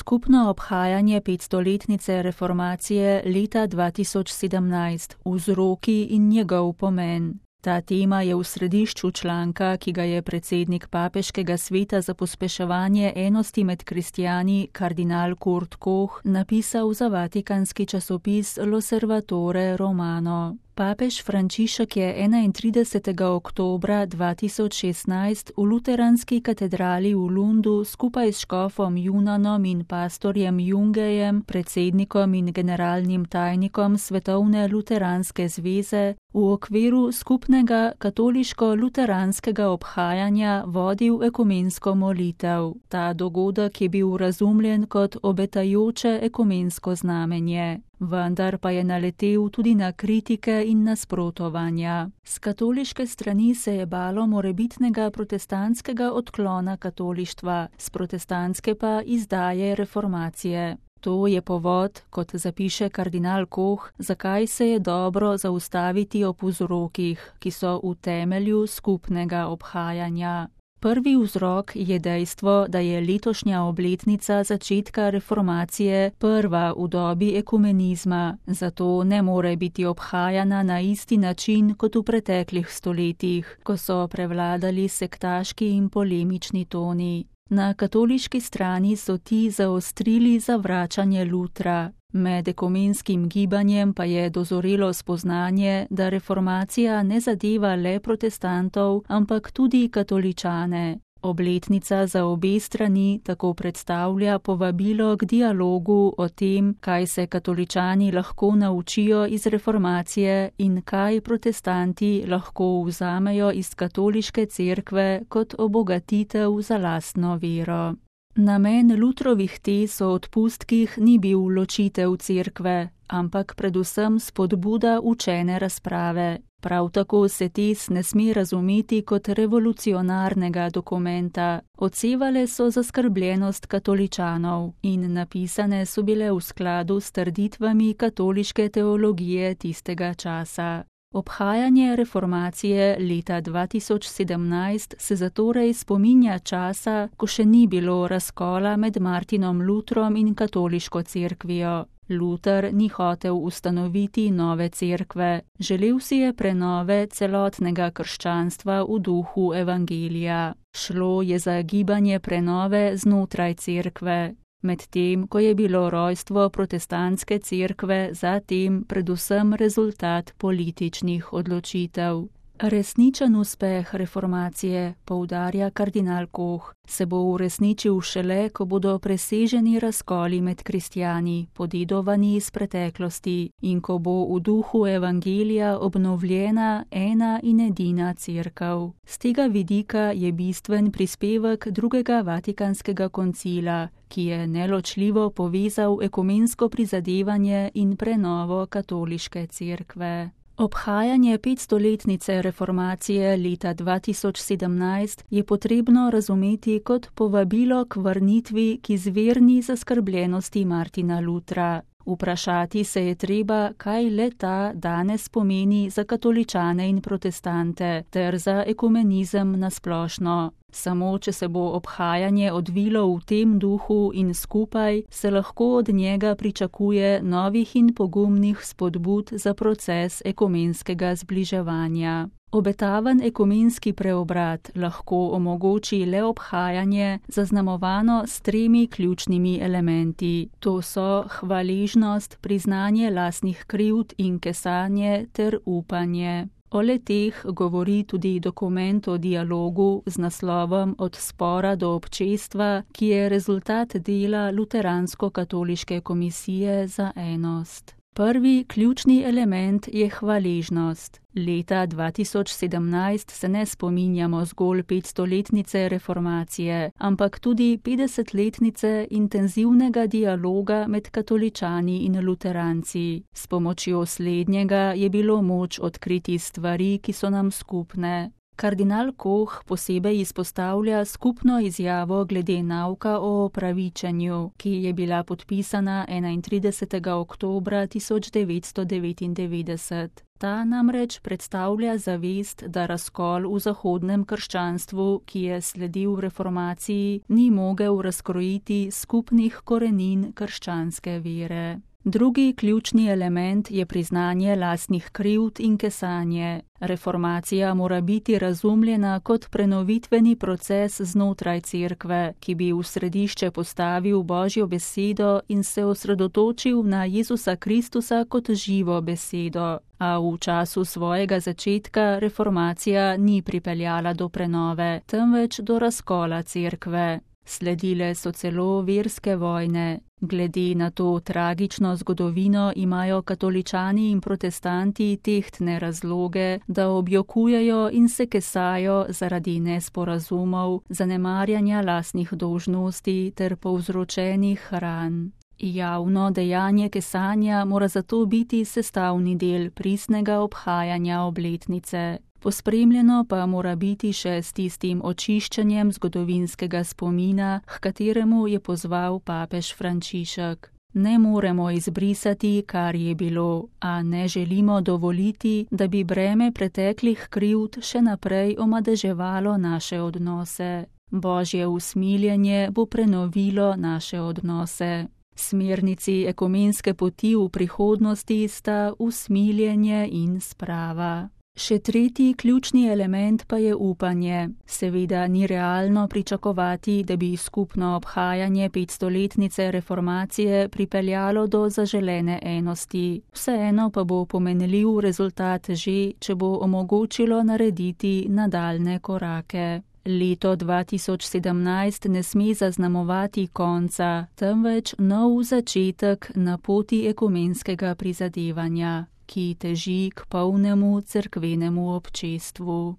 skupno obhajanje 500-letnice reformacije leta 2017, vzroki in njegov pomen. Ta tema je v središču članka, ki ga je predsednik Papeškega sveta za pospeševanje enosti med kristjani, kardinal Kurt Koch, napisal za vatikanski časopis L'Osservatore Romano. Papež Frančišek je 31. oktobra 2016 v luteranski katedrali v Lundu skupaj s škofom Junanom in pastorjem Jungejem, predsednikom in generalnim tajnikom Svetovne luteranske zveze, v okviru skupnega katoliško-luteranskega obhajanja vodil ekumensko molitev. Ta dogodek je bil razumljen kot obetajoče ekumensko znamenje. Vendar pa je naletel tudi na kritike in nasprotovanja. S katoliške strani se je balo morebitnega protestantskega odklona katolištva, s protestantske pa izdaje reformacije. To je povod, kot zapiše kardinal Koch, zakaj se je dobro zaustaviti ob vzrokih, ki so v temelju skupnega obhajanja. Prvi vzrok je dejstvo, da je letošnja obletnica začetka reformacije prva v dobi ekumenizma, zato ne more biti obhajana na isti način kot v preteklih stoletjih, ko so prevladali sektaški in polemični toni. Na katoliški strani so ti zaostrili zavračanje Lutra. Med ekumenskim gibanjem pa je dozorelo spoznanje, da reformacija ne zadeva le protestantov, ampak tudi katoličane. Obletnica za obe strani tako predstavlja povabilo k dialogu o tem, kaj se katoličani lahko naučijo iz reformacije in kaj protestanti lahko vzamejo iz katoliške cerkve kot obogatitev za lastno vero. Namen Lutrovih tez o odpustkih ni bil ločitev cerkve, ampak predvsem spodbuda učene razprave. Prav tako se tez ne sme razumeti kot revolucionarnega dokumenta. Odsevale so zaskrbljenost katoličanov in napisane so bile v skladu s trditvami katoliške teologije tistega časa. Obhajanje reformacije leta 2017 se zatorej spominja časa, ko še ni bilo razkola med Martinom Lutrom in katoliško cerkvijo. Luter ni hotel ustanoviti nove cerkve, želel si je prenove celotnega krščanstva v duhu evangelija. Šlo je za gibanje prenove znotraj cerkve. Medtem, ko je bilo rojstvo protestantske cerkve zatem predvsem rezultat političnih odločitev. Resničen uspeh reformacije, poudarja kardinal Koch, se bo uresničil šele, ko bodo preseženi razkoli med kristjani, podedovani iz preteklosti, in ko bo v duhu evangelija obnovljena ena in edina cerkev. Z tega vidika je bistven prispevek drugega vatikanskega koncila, ki je neločljivo povezal ekumensko prizadevanje in prenovo katoliške cerkve. Obhajanje 500-letnice reformacije leta 2017 je potrebno razumeti kot povabilo k vrnitvi k izvirni zaskrbljenosti Martina Lutra. Vprašati se je treba, kaj le ta danes pomeni za katoličane in protestante ter za ekumenizem nasplošno. Samo če se bo obhajanje odvilo v tem duhu in skupaj, se lahko od njega pričakuje novih in pogumnih spodbud za proces ekumenskega zbliževanja. Obetaven ekumenski preobrat lahko omogoči le obhajanje, zaznamovano s 3 ključnimi elementi. To so hvaležnost, priznanje lastnih krivd in kesanje ter upanje. O le-teh govori tudi dokument o dialogu z naslovom Od spora do občestva, ki je rezultat dela Luteransko-katoliške komisije za enost. Prvi ključni element je hvaležnost. Leta 2017 se ne spominjamo zgolj 500-letnice reformacije, ampak tudi 50-letnice intenzivnega dialoga med katoličani in luteranci. S pomočjo slednjega je bilo moč odkriti stvari, ki so nam skupne. Kardinal Koh posebej izpostavlja skupno izjavo glede nauka o opravičenju, ki je bila podpisana 31. oktobra 1999. Ta namreč predstavlja zavest, da razkol v zahodnem krščanstvu, ki je sledil reformaciji, ni mogel razkrojiti skupnih korenin krščanske vere. Drugi ključni element je priznanje lastnih krivd in kesanje. Reformacija mora biti razumljena kot prenovitveni proces znotraj cerkve, ki bi v središče postavil Božjo besedo in se osredotočil na Jezusa Kristusa kot živo besedo. A v času svojega začetka reformacija ni pripeljala do prenove, temveč do razkola cerkve. Sledile so celo verske vojne. Glede na to tragično zgodovino imajo katoličani in protestanti tehtne razloge, da objokujejo in se kesajo zaradi nesporazumov, zanemarjanja lastnih dolžnosti ter povzročenih ran. Javno dejanje kesanja mora zato biti sestavni del pristnega obhajanja obletnice. Pospremljeno pa mora biti še s tistim očiščenjem zgodovinskega spomina, h kateremu je pozval papež Frančišek. Ne moremo izbrisati, kar je bilo, a ne želimo dovoliti, da bi breme preteklih krivd še naprej omadeževalo naše odnose. Božje usmiljenje bo prenovilo naše odnose. Smernici ekumenske poti v prihodnosti sta usmiljenje in sprava. Še tretji ključni element pa je upanje. Seveda ni realno pričakovati, da bi skupno obhajanje 500-letnice reformacije pripeljalo do zaželene enosti. Vseeno pa bo pomenljiv rezultat že, če bo omogočilo narediti nadaljne korake. Leto 2017 ne sme zaznamovati konca, temveč nov začetek na poti ekumenskega prizadevanja, ki teži k polnemu cerkvenemu občestvu.